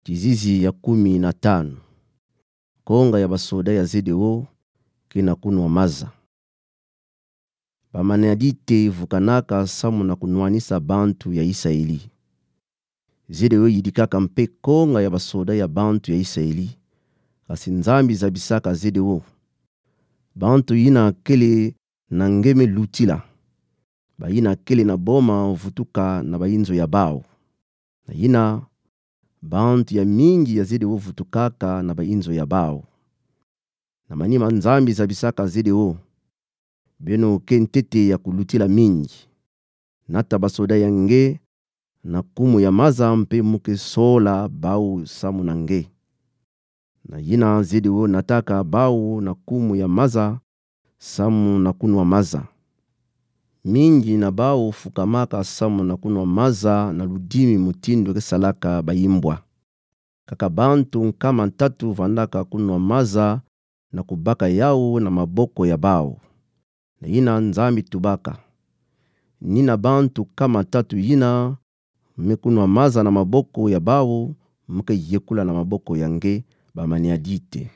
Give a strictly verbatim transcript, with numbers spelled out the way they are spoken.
Kizizi ya kumi na tanu. Konga ya basoda ya ZDO ke na kunwa maza. Bamaneadite vukanaka samu na kunwanisa bantu ya Isaeli. ZDO yidikaka mpe konga ya basoda ya bantu ya Isaeli. Kasi Nzambi zabisaka ZDO: Bantu yina kele na nge me lutila. Bayina kele na boma vutuka na bayinzo ya bawu. Na yina, bantu ya mingi ya ZDO vutukaka na bayinzo ya bawu. Na manima Nzambi zabisaka ZDO: Beno ke ntete ya kulutila mingi. Nata basoda ya nge na kumu ya maza mpe mu ke sola bawu samu na nge. Na yina ZDO nataka bawu na kumu ya maza samu na kunwa maza. Mingi na bawu fukamaka samu na kunwa maza na ludimi mutindu ke salaka bayimbwa. Kaka bantu nkama ntatu vandaka kunwa maza na kubaka yawu na maboko ya bawu. Na yina Nzambi tubaka: Ni na bantu nkama ntatu yina me kunwa maza na maboko ya bawu, mu ke yekula na maboko ya nge, bamaneadite.